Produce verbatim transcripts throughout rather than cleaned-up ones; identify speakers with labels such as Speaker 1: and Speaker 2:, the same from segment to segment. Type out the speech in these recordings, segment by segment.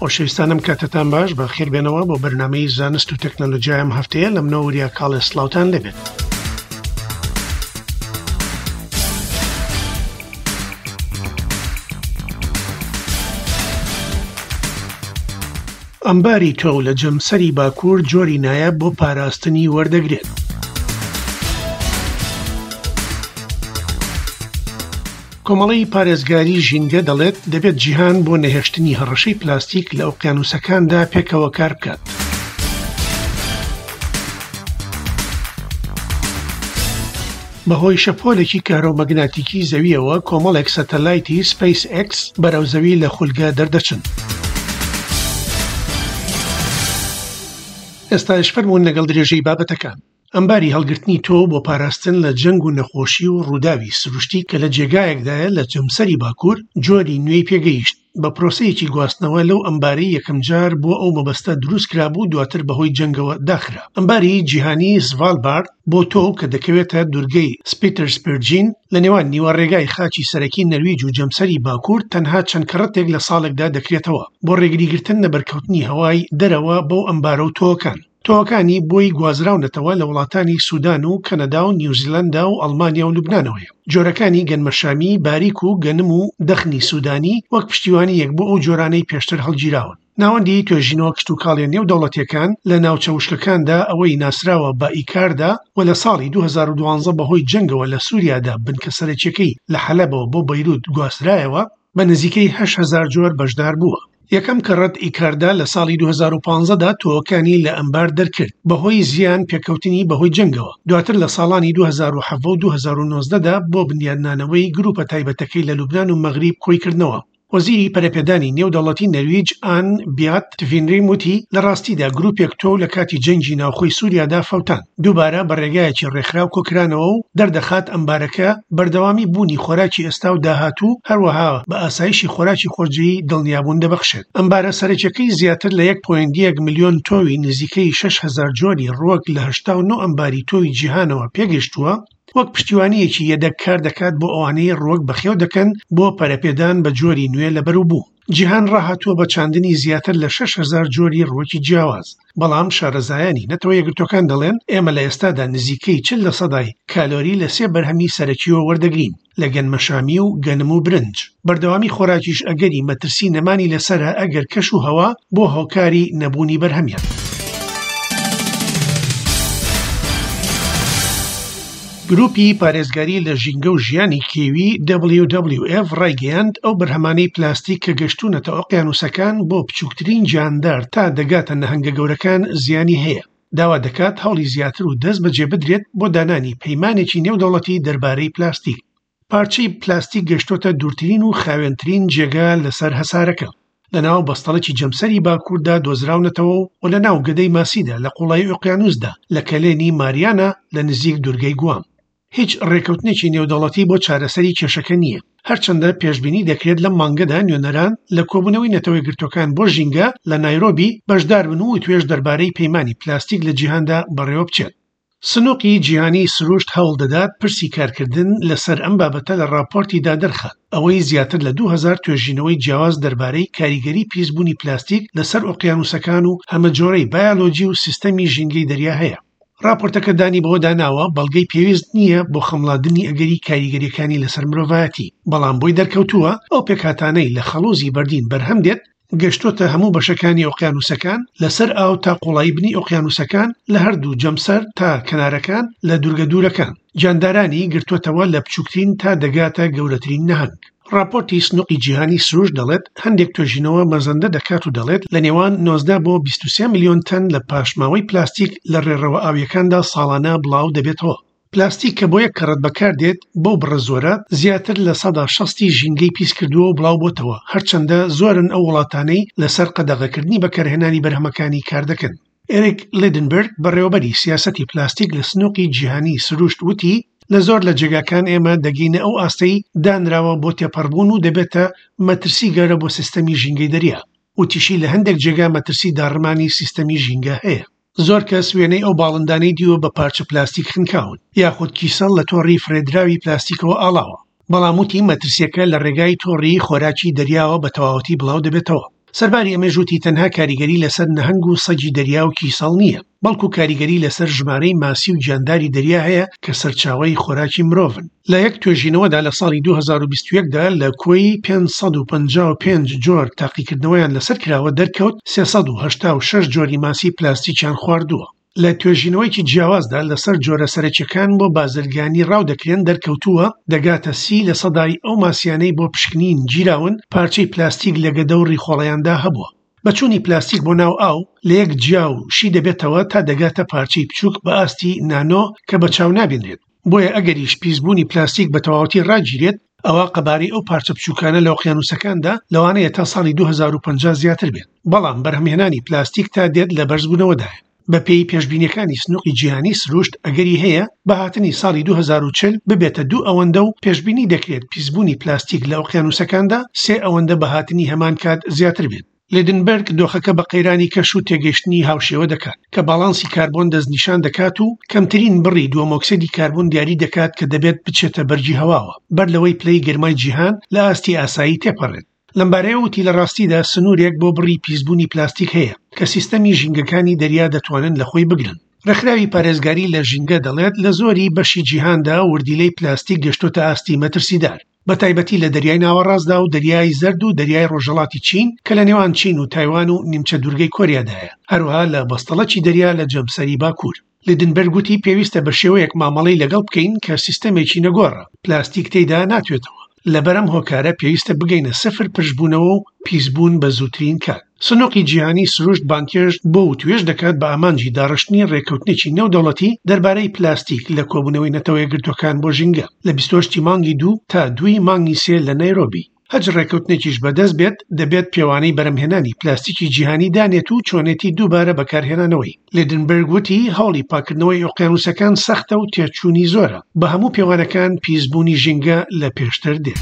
Speaker 1: خۆشەویستانم کاتتان باش، بە خێربێنەوە بۆ بەرنامەی زانست و تەکنەلۆژیای ئەم هەفتەیە. لە منەوە وریا کاڵێ سڵاوتان لێبێت. ئەمباری تۆو لە جەمسەری باکوور جۆری نایاب بۆ پاراستنی وەردەگرێت. کۆمەڵەی پارێزگاری ژینگە دەڵێت دەبێت جیهان بۆ نەهێشتنی هەڕەشەی پلاستیک لە ئۆقیانوسەکاندا پێکەوە کار بکات. بەهۆی شەپۆلێکی کارۆمەگناتیکی زەویەوە کۆمەڵێک سەتەلایتی سپەیس ئێکس بەرەو زەوی لە خولگە دەردەچن. ئێستاش فەرموون لەگەڵ درێژەی بابەتەکان. ئەمباری هەڵگرتنی تۆ بۆ پاراستن لە جەنگ و نەخۆشی و ڕووداوی سروشتی کە لە جێگایەکدایە لە جەمسەری باکوور جۆری نوێی پێگەیشت بە پرۆسەیەکی گواستنەوە لەو ئەمبارەی یەکەمجار بۆ ئەو مەبەستە دروست کرابوو، دواتر بەهۆی جەنگەوە داخرا. ئەمباری جیهانی سڤالبارد بۆ تۆ کە دەکەوێتە دوورگەی سپیترسپێرجین لە نێوان نیوە ڕێگای خاچی سەرەکی نەرویج و جەمسەری باکوور تەنها چەند کەڕەتێک لە ساڵێکدا دەکرێتەوە بۆ ڕێگریگرتن لە بەرکەوتنی هەوای دەرەوە بەو ئەمبارە و تۆوەکان. تۆوەکانی بۆی گوازراونەتەوە لە وڵاتانی سودان و کەنەدا و نیوزیلەندا و ئەڵمانیا و لوبنانەوەیە. جۆرەکانی گەنمەشامی باریک و گەنم و دەخنی سودانی وەک پشتیوانیەک بۆ ئەو جۆرانەی پێشتر هەڵگیراون. ناوەندی توێژینەوە کشتوکاڵیە نێو دەوڵەتیەکان لە ناوچە وشکەکاندا ئەوەی ناسراوە بە ئیکاردا و لە ساڵی دوو هەزار و دوازدە بەهۆی جەنگەوە لە سووریادا بنکە سەرەکیەکەی لە حەلەبەوە بۆ بەیروت گواسترایەوە بە نزیکەی هەشت هەزار جۆر بەشدار بووە. یەکەم کەڕەت ئیکاردا لە ساڵی دوو هەزار و پازدە دا تۆوەکانی لە ئەمبار دەرکرد بەهۆی زیان پێکەوتنی بەهۆی جەنگەوە. دواتر لە ساڵانی دوو هەزار و حەڤدە و دوو هەزار و نۆزدە دا بۆ بنیادنانەوەی گروپە تایبەتەکەی لە لوبنان و مەغریب کۆی کردنەوە. وەزیری پەرەپێدانی نێودەوڵەتی نەرویج ئان بیات تڤینریم وتی لە ڕاستیدا گروپێک تۆو لە کاتی جەنگی ناوخۆی سووریادا فەوتان، دووبارە بە ڕێگایەکی ڕێکخراو کۆکرانەوە و دەردەخات ئەمبارەکە بەردەوامی بوونی خۆراکی ئێستا و داهاتوو، هەروەها بە ئاسایشی خۆراکی خۆجێی دڵنیابوون دەبەخشێت. ئەمبارە سەرەکیەکەی زیاتر لە یەک پۆینت یەک ملیۆن تۆوی نزیکەی شەش هەزار جۆری ڕووەک لە هەشتا و نۆ ئەمباری تۆوی جیهانەوە پێگەیشتووە، وەک پشتیوانیەکی یەدەک کار دەکات بۆ ئەوانەی ڕووەک بەخێو دەکەن بۆ پەرەپێدان بە جۆری نوێ لە بەروبوو. جیهان ڕاهاتووە بە چاندنی زیاتر لە شەش هەزار جۆری ڕووەکی جیاواز، بەڵام شارەزایانی نەتەوە یەکگرتووەکان دەڵێن ئێمە لە ئێستادا نزیکەی چل لە سەدای کالۆری لە سێ بەرهەمی سەرەکیەوە وەردەگرین لە گەنمەشامی و گەنم و برنج. بەردەوامی خۆراکیش ئەگەری مەترسی نەمانی لەسەرە ئەگەر کەش و هەوا بۆ هۆکاری نەبوونی بەرهەمیان. گروپی پارێزگاری لە ژینگە و ژیانی کێوی دبلیو دبلیو ئێف ڕایگەیاند ئەو بەرهەمانەی پلاستیک کە گەشتونەتە ئۆقیانوسەکان بۆ بچووکترین گیاندار تا دەگاتە نەهەنگە گەورەکان زیانی هەیە. داوا دەکات هەوڵی زیاتر و دەست بەجێ بدرێت بۆ دانانی پەیمانێکی نێودەوڵەتی دەربارەی پلاستیک. پارچەی پلاستیک گەشتۆتە دوورترین و خاوێنترین جێگا لەسەر هەسارەکە. لەناو بەستەڵێکی جەمسەری باکووردا دۆزراونەتەوە و لە ناو گەدەی ماسیدا لە قوڵایی ئۆقیانوسدا لە کەلێنی ماریانا لە نزیک دوورگەی گوام. هیچ ڕێکەوتنێکی نێودەوڵەتی بۆ چارەسەری کێشەکە نییە. هەرچەندە پێشبینی دەکرێت لەم مانگەدا نوێنەران لە کۆبوونەوەی نەتەوە یەکگرتووەکان بۆ ژینگە لە نایرۆبی بەشدار بن و توێژ دەربارەی پەیمانی پلاستیک لە جیهاندا بەڕێوە بچێت. سنوقی جیهانی سروشت هەوڵ دەدات پرسی کارکردن لەسەر ئەم بابەتە لە راپۆرتیدا دەرخات، ئەوەی زیاتر لە دوو هەزار توێژینەوەی جیاواز دەربارەی کاریگەری پیسبوونی پلاستیک لەسەر ئۆقیانوسەکان و هەمەجۆرەی بایۆلۆجی و سیستەمی ژینگەی دەریا هەیە. راپۆرتەکە دانی بەوەدا ناوە بەڵگەی پێویست نییە بۆ خەمڵاندنی ئەگەری کاریگەریەکانی لەسەر مرۆڤایەتی، بەڵام بۆی دەرکەوتووە ئەو پێکهاتانەی لە خەڵوزی بەردین بەرهەم دێت گەشتۆتە هەموو بەشەکانی ئۆقیانوسەکان لەسەر ئاو تا قوڵایی بنی ئۆقیانوسەکان لە هەردوو جەمسەر تا کەنارەکان لە دوورگە دوورەکان. گیاندارانی گرتووەتەوە لە بچووکترین تا دەگاتە گەورەترین نەهەنگ. راپۆرتی سنوقی جیهانی سروشت دەڵێت هەندێک توێژینەوە مەزەندە دەکات و دەڵێت لە نێوان نۆزدە بۆ بیست و سێ ملیۆن تەن لە پاشماوەی پلاستیک لە ڕێڕەوە ئاویەکاندا ساڵانە بڵاو دەبێتەوە. پلاستیک کە بۆ یەک کەڕەت بەکاردێت بەو بڕە زۆرە زیاتر لە سەدا شەستی ژینگەی پیس کردووە و بڵاو بۆتەوە، هەرچەندە زۆرن ئەو وڵاتانەی لەسەر قەدەغەکردنی بەکارهێنانی بەرهەمەکانی کار دەکەن. ئێریک لیدنبرگ بەڕێوەبەری سیاسەتی پلاستیک لە سنوقی جیهانی سروشت وتی لە زۆر لە جێگاکان ئێمە دەگەینە ئەو ئاستەی دانراوە بۆ تێپەڕبوون و دەبێتە مەترسی گەورە بۆ سیستەمی ژینگەی دەریا. وتیشی لە هەندێک جێگا مەترسی داڕمانی سیستەمی ژینگە هەیە. زۆر کەس وێنەی ئەو باڵندانەی دیوە بە پارچە پلاستیک خنکاون یاخود کیسەڵ لە تۆڕی فرێدراوی پلاستیکەوە ئاڵاوە، بەڵام وتی مەترسیەکە لە ڕێگای تۆڕی خۆراکی دەریاوە بە تەواوەتی بڵاو دەبێتەوە. سەرباری ئەمەش وتی تەنها کاریگەری لەسەر نەهەنگ و سەگی دەریا و کیسەڵ نییە، بەڵکو کاریگەری لەسەر ژمارەی ماسی و گیانداری دەریا هەیە کە سەرچاوەی خۆراکی مرۆڤن. لە یەک توێژینەوەدا لە ساڵی دوو هەزار و بیست و یەک دا لە کۆی پێنج سەد و پەنجا و پێنج جۆر تاقیکردنەوەیان لەسەر کراوە دەرکەوت سێ سەد و هەشتا و شەش جۆری ماسی پلاستیکیان خواردووە. لە توێژینەوەیەکی جیاوازدا لەسەر جۆرە سەرەکیەکان بۆ بازرگانی ڕاو دەکرێن دەرکەوتووە دەگاتە سی لە سەدای ئەو ماسیانەی بۆ پشکنین گیراون پارچەی پلاستیک لە گەدە و ڕیخۆڵەیاندا هەبووە. بەچوونی پلاستیک بۆ ناو ئاو لە یەک جیا و شی دەبێتەوە تا دەگاتە پارچەی بچووک بە ئاستی نانۆ کە بە چاو نابینرێت. بۆیە ئەگەریش پیسبوونی پلاستیک بە تەواوەتی ڕاگیرێت ئەوە قەبارەی ئەو پارچە بچووکانە لە ئۆقیانوسەکاندا لەوانەیە تا ساڵی دوو هەزار و پەنجا زیاتر بێت. بەڵام بەرهەمهێنانی پلاستیک تا دێت لە بەرزبوونەوەدایە. بەپێی پێشبینیەکانی سنووقی جیهانی سروشت ئەگەری هەیە بە هاتنی ساڵی دوو هەزار و چل ببێتە دوو ئەوەندە و پێشبینی دەکرێت پیسبوونی پلاستیک لە ئۆقیانوسەکاندا سێ ئەوەندە بە هاتنی هەمان کات زیاتر بێت. لیدنبەرگ دۆخەکە بە قەیرانی کەش و تێگەیشتنی هاوشێوە دەکات کە باڵانسی کاربۆن دەستنیشان دەکات و کەمترین بڕی دووەمۆکسیدی کاربۆن دیاری دەکات کە دەبێت بچێتە بەرگی هەواوە بەر لەوەی پلەی گەرمای جیهان لە ئاستی ئاسایی تێپەڕێت. لەمبارەیە وتی لە ڕاستیدا سنوورێک بۆ بڕی پیسبوونی پلاستیک هەیە کە سیستەمی ژینگەکانی دەریا دەتوانن لە خۆی بگرن. ڕێکخراوی پارێزگاری لە ژینگە دەڵێت لە زۆری بەشی جیهاندا وردیلەی پلاستیک گەشتۆتە ئاستی مەترسیدار، بە تایبەتی لە دەریای ناوەڕاستدا و دەریای زەرد و دەریای ڕۆژهەڵاتی چین کە لە نێوان چین و تایوان و نیمچە دوورگەی کۆریادایە، هەروەها لە بەستەڵەکی دەریا لە جەمسەری باکوور. لیدنبەرگ وتی پێویستە بە شێوەیەک مامەڵەی لەگەڵ بکەین کە سیستەمێکی نەگۆڕە، پلاستیک تێیدا ناتوێتەوە. لەبەرەم هۆکارە پێویستە بگەینە سفر پرشبوونەوە و پیسبوون بە زووترین کات. سنووقی جیهانی سروشت بانکێشت بۆ وتوێژ دەکات بە ئامانجی داڕشتنی ڕێککەوتنێکی نێودەوڵەتی دەربارەی پلاستیک لە کۆبوونەوەی نەتەوە یەکگرتووەکان بۆ ژینگە لە بیست و هەشت مانگی دوو تا دووی مانگی سێ لە نایرۆبی. هەچ ڕێککەوتنێکیش بەدەست بێت دەبێت پێوانەی بەرەمهێنانی پلاستیکی جیهانی دانێت و چۆنێتی دووبارە بەکارهێنانەوەی. لیدنبەرگ وتی هەوڵی پاکردنەوەی ئۆقیانوسەکان سەختە و تێچوونی زۆرە، بە هەموو پێوانەکان پیسبوونی ژینگە لە پێشتر دێت.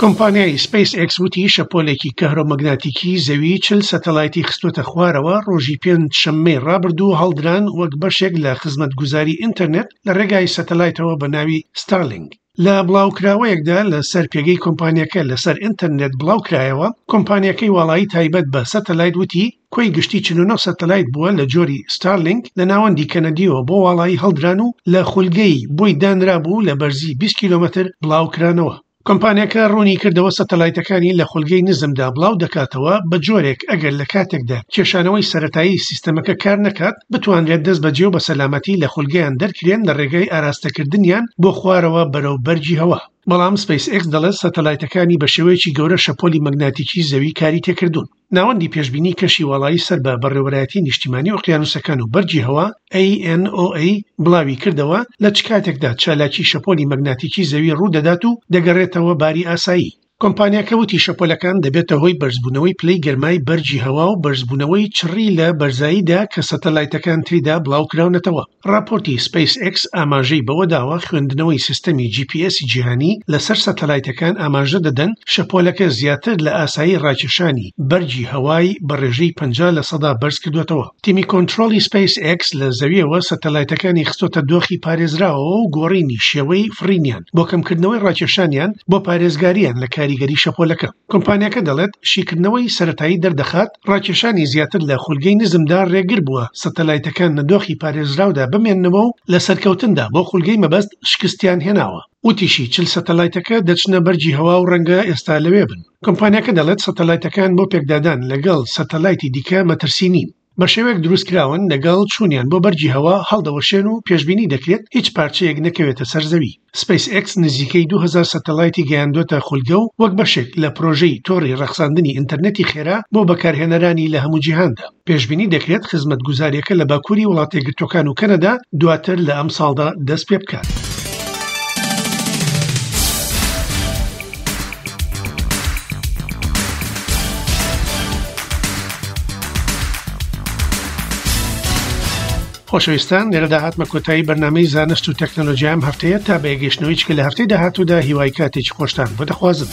Speaker 1: کۆمپانیای سپەیس ئێکس وتی شەپۆلێکی کەهرۆمەگناتیکی زەوی چل سەتەلایتی خستووەتە خوارەوە ڕۆژی پێنج شەممەی ڕابردوو هەڵدران وەک بەشێک لە خزمەتگوزاری ئینتەرنێت لە ڕێگای سەتەلایتەوە بە ناوی ستارلینگ. لە بڵاوکراوەیەکدا لەسەر پێگەی کۆمپانیەکە لەسەر ئینتەرنێت بڵاوکرایەوە، کۆمپانیەکەی واڵایی تایبەت بە سەتەلایت وتی کۆی گشتی چل و نۆ سەتەلایت بووە لە جۆری ستارلینگ لە ناوەندی کەنەدیەوە بۆ واڵایی هەڵدران و لە خولگەی بۆی دانرابوو لە بەرزی بیست کیلۆمەتر بڵاوکرانەوە. کۆمپانیەکە ڕوونی کردەوە سەتەلایتەکانی لە خولگەی نزمدا بڵاو دەکاتەوە بە جۆرێک ئەگەر لە کاتێکدا کێشانەوەی سەتایی سیستەمەکە کار نەکات بتوانرێت دەست بەجێ و بە سەلامەتی لە خولگەیان دەرکرێن لە ڕێگەی ئاراستەکردنیان بۆ خوارەوە بەرەو بەرگی هەوا. بەڵام سپەیس ئێکس دەڵێت سەتەلایتەکانی بە شێوەیەکی گەورە شەپۆلی مەگناتیکی زەوی کاری تێکردوون. ناوەندی پێشبینی کەشی واڵایی سەر بە بەڕێوەبەرایەتی نیشتیمانی ئۆقیانوسەکان و بەرگی هەوا A N O A بڵاوی کردەوە لە چ کاتێکدا چالاکی شەپۆلی مەگناتیکی زەوی ڕوودەدات و دەگەڕێتەوە باری ئاسایی. کۆمپانیاکە وتی شەپۆلەکان دەبێتە هۆی بەرزبوونەوەی پلەی گەرمای بەرگی هەوا و بەرزبوونەوەی چڕی لە بەرزاییدا کە سەتەلایتەکان تێیدا بڵاوکراونەتەوە. ڕاپۆرتی سپەیس ئێکس ئاماژەی بەوەداوە خوێندنەوەی سیستەمی جی پی ئێس جیهانی لەسەر سەتەلایتەکان ئاماژە دەدەن شەپۆلەکە زیاتر لە ئاسایی ڕاکێشانی بەرگی هەوای بە ڕێژەی پەنجا لە سەدا بەرز کردوێتەوە. تیمی کۆنترۆڵی سپەیس ئێکس لە زەویەوە سەتەلایتەکانی خستۆتە دۆخی پارێزراوەوە و گۆڕینی شێوەی فڕینیان بۆ کەمکردنەوەی ڕاکێشانیان بۆ پارێزگاریان لە کاریگەری شەپۆلەکە. کۆمپانیاکە دەڵێت شیکردنەوەی سەتایی دەردەخات ڕاکێشانی زیاتر لە خولگەی نزمدا ڕێگر بووە سەتەلایتەکان لە دۆخی پارێزراودا بمێننەوە و لە سەرکەوتندا بۆ خولگەی مەبەست شکستیان هێناوە. وتیشی چل سەتەلایتەکە دەچنە بەرگی هەوا و ڕەنگە ئێستا لەوێ بن. کۆمپانیاکە دەڵێت سەتەلایتەکان بۆ پێکدادان لەگەڵ سەتەلایتی دیکە مەترسی نین، بە شێوەیەک دروستکراون لەگەڵ چوونیان بۆ بەرگی هەوا هەڵدەوەشێن و پێشبینی دەکرێت هیچ پارچەیەک نەکەوێتە سەر زەوی. سپەیس ئێکس نزیکەی دوو هەزار سەتەلایتی گەیاندۆتە خولگە و وەک بەشێک لە پرۆژەی تۆڕی ڕەخساندنی ئینتەرنێتی خێرا بۆ بەکارهێنەرانی لە هەموو جیهاندا. پێشبینی دەکرێت خزمەتگوزاریەکە لە باکووری وڵاتە یەکگرتووەکان و کەنەدا دواتر لە ئەمساڵدا دەست پێ بکات. خۆشەویستان، لێرەدا هاتمە کۆتایی بەرنامەی زانست و تەکنەلۆژیا ئەم هەفتەیە تا بەیەگەیشتنەوەی چکە لە هەفتەی داهاتوودا هیوای کاتێکی خۆشتان بۆ دەخوازم.